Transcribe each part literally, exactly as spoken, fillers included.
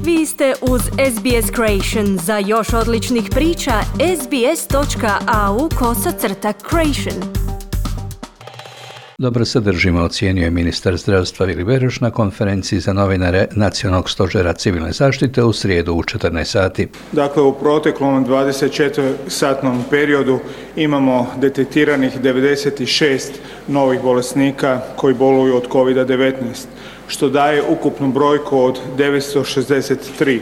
Vi ste uz S B S Creation. Za još odličnih priča, sbs.au kosacrta creation. Dobro se držimo, ocijenio je ministar zdravstva Vili Beroš na konferenciji za novinare Nacionalnog stožera civilne zaštite u srijedu u četrnaest sati. Dakle, u proteklom dvadesetčetvorosatnom periodu imamo detektiranih devedeset šest novih bolesnika koji boluju od kovid devetnaest, što daje ukupnu brojku od devetsto šezdeset tri.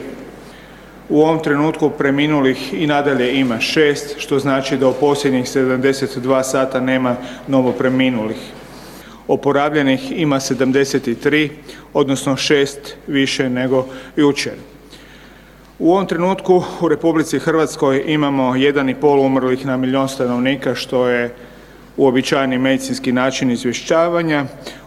U ovom trenutku preminulih i nadalje ima šest, što znači da u posljednjih sedamdeset dva sata nema novo preminulih. Oporavljenih ima sedamdeset tri, odnosno šest više nego jučer. U ovom trenutku u Republici Hrvatskoj imamo jedan i pol umrlih na milijun stanovnika, što je uobičajeni medicinski način izvješćavanja.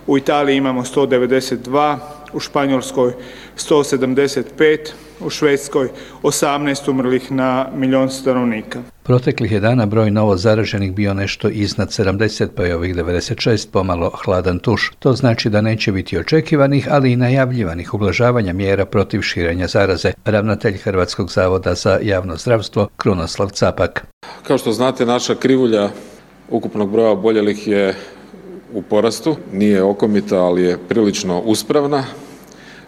U Italiji imamo sto devedeset dva, u Španjolskoj sto sedamdeset pet, u Švedskoj osamnaest umrlih na milijun stanovnika. Proteklih je dana broj novo zaraženih bio nešto iznad sedamdeset, pa je ovih devedeset šest pomalo hladan tuš. To znači da neće biti očekivanih, ali i najavljivanih ublažavanja mjera protiv širenja zaraze. Ravnatelj Hrvatskog zavoda za javno zdravstvo Krunoslav Capak. Kao što znate, naša krivulja ukupnog broja oboljelih je u porastu. Nije okomita, ali je prilično uspravna.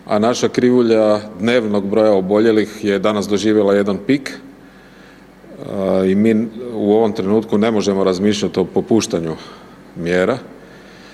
A naša krivulja dnevnog broja oboljelih je danas doživjela jedan pik i mi u ovom trenutku ne možemo razmišljati o popuštanju mjera.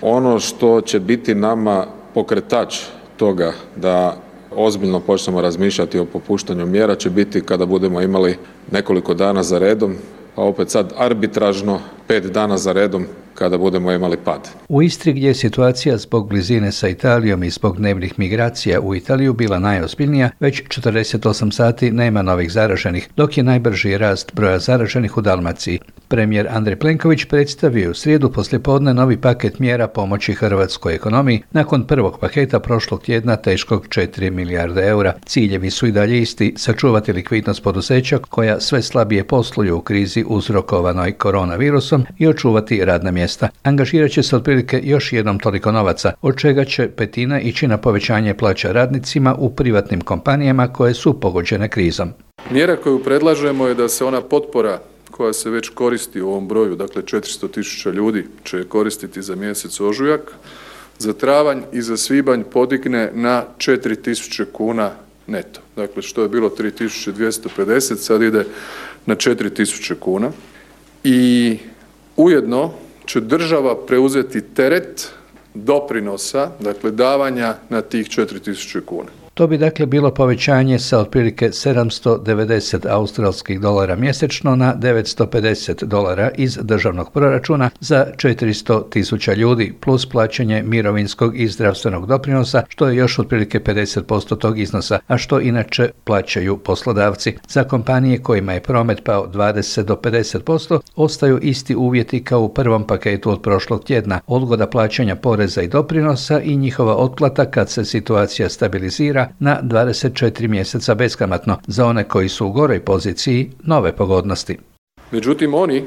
Ono što će biti nama pokretač toga da ozbiljno počnemo razmišljati o popuštanju mjera će biti kada budemo imali nekoliko dana za redom, pa opet sad arbitražno pet dana za redom kada budemo imali pad. U Istri, gdje je situacija zbog blizine sa Italijom i zbog dnevnih migracija u Italiju bila najozbiljnija, već četrdeset osam sati nema novih zaraženih, dok je najbrži rast broja zaraženih u Dalmaciji. Premijer Andrej Plenković predstavio u srijedu poslijepodne novi paket mjera pomoći hrvatskoj ekonomiji nakon prvog paketa prošlog tjedna teškog četiri milijarde eura. Ciljevi su i dalje isti: sačuvati likvidnost poduzeća koja sve slabije posluju u krizi uzrokovanoj koronavirusom i očuvati radna mjesta. Angažirat će se otprilike još jednom toliko novaca, od čega će petina ići na povećanje plaća radnicima u privatnim kompanijama koje su pogođene krizom. Mjera koju predlažemo je da se ona potpora koja se već koristi u ovom broju, dakle četiristo tisuća ljudi će je koristiti za mjesec ožujak, za travanj i za svibanj podigne na četiri tisuće kuna neto. Dakle, što je bilo tri tisuće dvjesto pedeset, sad ide na četiri tisuće kuna. I ujedno će država preuzeti teret doprinosa, dakle davanja na tih četiri tisuće kuna. To bi dakle bilo povećanje sa otprilike sedamsto devedeset australskih dolara mjesečno na devetsto pedeset dolara iz državnog proračuna za četiristo tisuća ljudi, plus plaćanje mirovinskog i zdravstvenog doprinosa, što je još otprilike pedeset posto tog iznosa, a što inače plaćaju poslodavci. Za kompanije kojima je promet pao dvadeset do pedeset posto, ostaju isti uvjeti kao u prvom paketu od prošlog tjedna: odgoda plaćanja poreza i doprinosa i njihova otplata kad se situacija stabilizira na dvadeset četiri mjeseca beskamatno. Za one koji su u goroj poziciji, nove pogodnosti. Međutim, oni,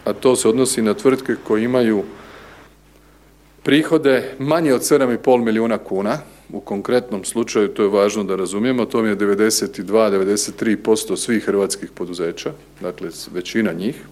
a to se odnosi na tvrtke koje imaju prihode manje od sedam i pol milijuna kuna, u konkretnom slučaju, to je važno da razumijemo, to je devedeset dva do devedeset tri posto svih hrvatskih poduzeća, dakle većina njih,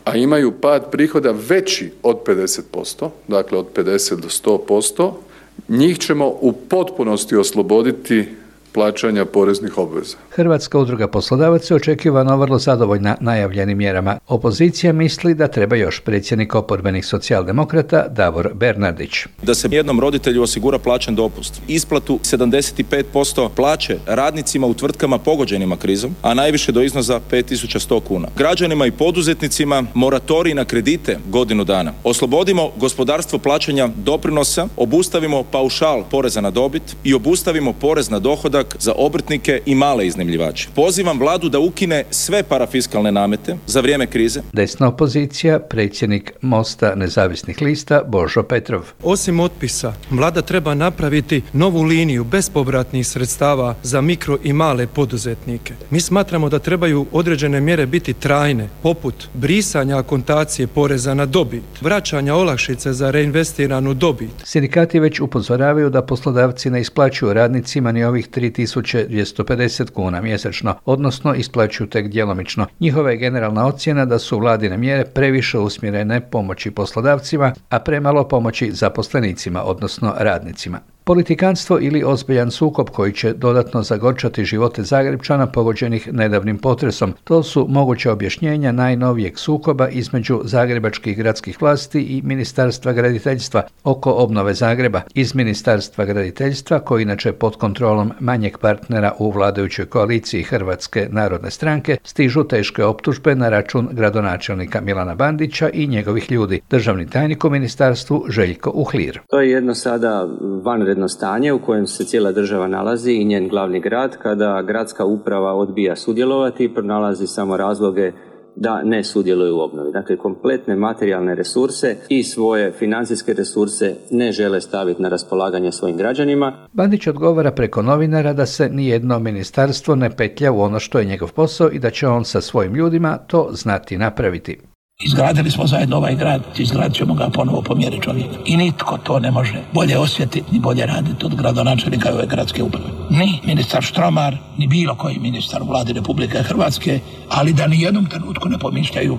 a imaju pad prihoda veći od pedeset posto, dakle od pedeset do sto posto, njih ćemo u potpunosti osloboditi plaćanja poreznih obveza. Hrvatska udruga poslodavaca očekivano vrlo zadovoljna najavljenim mjerama. Opozicija misli da treba još. Predsjednik oporbenih socijaldemokrata Davor Bernardić. Da se jednom roditelju osigura plaćen dopust, isplatu sedamdeset pet posto plaće radnicima u tvrtkama pogođenima krizom, a najviše do iznosa pet tisuća sto kuna. Građanima i poduzetnicima moratorij na kredite godinu dana. Oslobodimo gospodarstvo plaćanja doprinosa, obustavimo paušal poreza na dobit i obustavimo porez na dohodak za obrtnike i male iznajmljivače. Pozivam vladu da ukine sve parafiskalne namete za vrijeme krize. Desna opozicija, predsjednik Mosta nezavisnih lista Božo Petrov. Osim otpisa, vlada treba napraviti novu liniju bespovratnih sredstava za mikro i male poduzetnike. Mi smatramo da trebaju određene mjere biti trajne, poput brisanja akontacije poreza na dobit, vraćanja olakšice za reinvestiranu dobit. Sindikati već upozoravaju da poslodavci ne isplaćuju radnicima ni ovih tri tri tisuće dvjesto pedeset kuna mjesečno, odnosno isplaćuju tek djelomično. Njihova je generalna ocjena da su vladine mjere previše usmjerene pomoći poslodavcima, a premalo pomoći zaposlenicima, odnosno radnicima. Politikanstvo ili ozbiljan sukob koji će dodatno zagorčati živote Zagrepčana pogođenih nedavnim potresom. To su moguća objašnjenja najnovijeg sukoba između zagrebačkih gradskih vlasti i Ministarstva graditeljstva oko obnove Zagreba. Iz Ministarstva graditeljstva, koji inače pod kontrolom manjeg partnera u vladajućoj koaliciji Hrvatske narodne stranke, stižu teške optužbe na račun gradonačelnika Milana Bandića i njegovih ljudi. Državni tajnik u ministarstvu Željko Uhlir. To je jedno sada vanredno stanje u kojem se cijela država nalazi i njen glavni grad, kada gradska uprava odbija sudjelovati i pronalazi samo razloge da ne sudjeluju u obnovi. Dakle, kompletne materijalne resurse i svoje financijske resurse ne žele staviti na raspolaganje svojim građanima. Bandić odgovara preko novinara da se nijedno ministarstvo ne petlja u ono što je njegov posao i da će on sa svojim ljudima to znati napraviti. Izgradili smo zajedno ovaj grad, izgradit ćemo ga ponovo po mjeri čovjeka. I nitko to ne može bolje osjetiti ni bolje raditi od gradonačelnika ove gradske uprave. Ni ministar Štromar, ni bilo koji ministar u vladi Republike Hrvatske, ali da ni jednom trenutku ne pomišljaju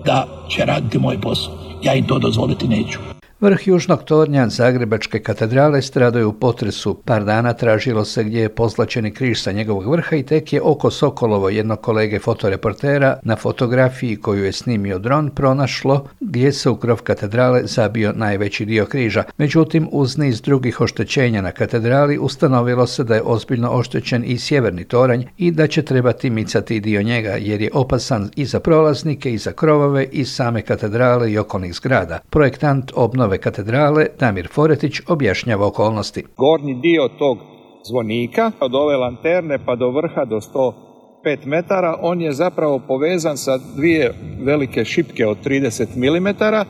da će raditi moj posao. Ja im to dozvoliti neću. Vrh južnog tornja Zagrebačke katedrale stradao je u potresu. Par dana tražilo se gdje je pozlačeni križ sa njegovog vrha i tek je oko Sokolovo, jednog kolege fotoreportera, na fotografiji koju je snimio dron pronašlo gdje se u krov katedrale zabio najveći dio križa. Međutim, uz niz drugih oštećenja na katedrali ustanovilo se da je ozbiljno oštećen i sjeverni toranj i da će trebati micati dio njega jer je opasan i za prolaznike i za krovove i same katedrale i okolnih zgrada. Projektant obnove katedrale Damir Foretić objašnjava okolnosti. Gornji dio tog zvonika od ove lanterne pa do vrha do sto pet metara, on je zapravo povezan sa dvije velike šipke od trideset milimetara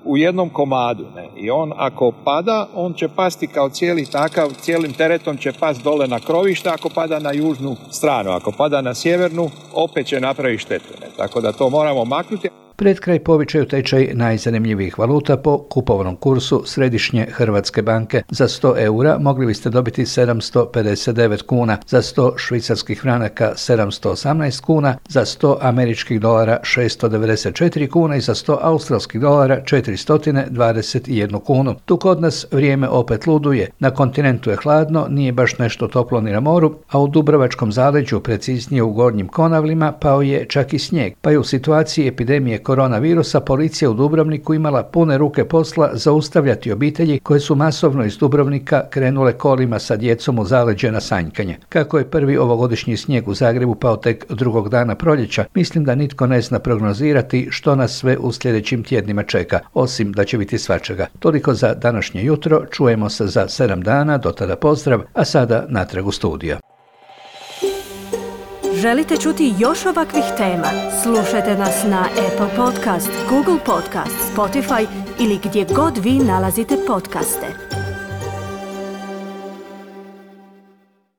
u jednom komadu. Ne? I on ako pada, on će pasti kao cijeli takav, cijelim teretom će pasti dole na krovište ako pada na južnu stranu. Ako pada na sjevernu, opet će napraviti štetu. Ne? Tako da to moramo maknuti. Pred kraj povičaju tečaj najzanimljivijih valuta po kupovnom kursu Središnje Hrvatske banke. Za sto eura mogli biste dobiti sedamsto pedeset devet kuna, za sto švicarskih franaka sedamsto osamnaest kuna, za sto američkih dolara šesto devedeset četiri kuna i za sto australskih dolara četiristo dvadeset jedan kunu. Tu kod nas vrijeme opet luduje. Na kontinentu je hladno, nije baš nešto toplo ni na moru, a u Dubrovačkom zaleđu, preciznije u Gornjim Konavlima, pao je čak i snijeg, pa je u situaciji epidemije koronavirusa policija u Dubrovniku imala pune ruke posla zaustavljati obitelji koje su masovno iz Dubrovnika krenule kolima sa djecom u zaleđe na sanjkanje. Kako je prvi ovogodišnji snijeg u Zagrebu pao tek drugog dana proljeća, mislim da nitko ne zna prognozirati što nas sve u sljedećim tjednima čeka, osim da će biti svačega. Toliko za današnje jutro, čujemo se za sedam dana, do tada pozdrav, a sada natrag u studio. Želite čuti još ovakvih tema? Slušajte nas na Apple Podcast, Google Podcast, Spotify ili gdje god vi nalazite podcaste.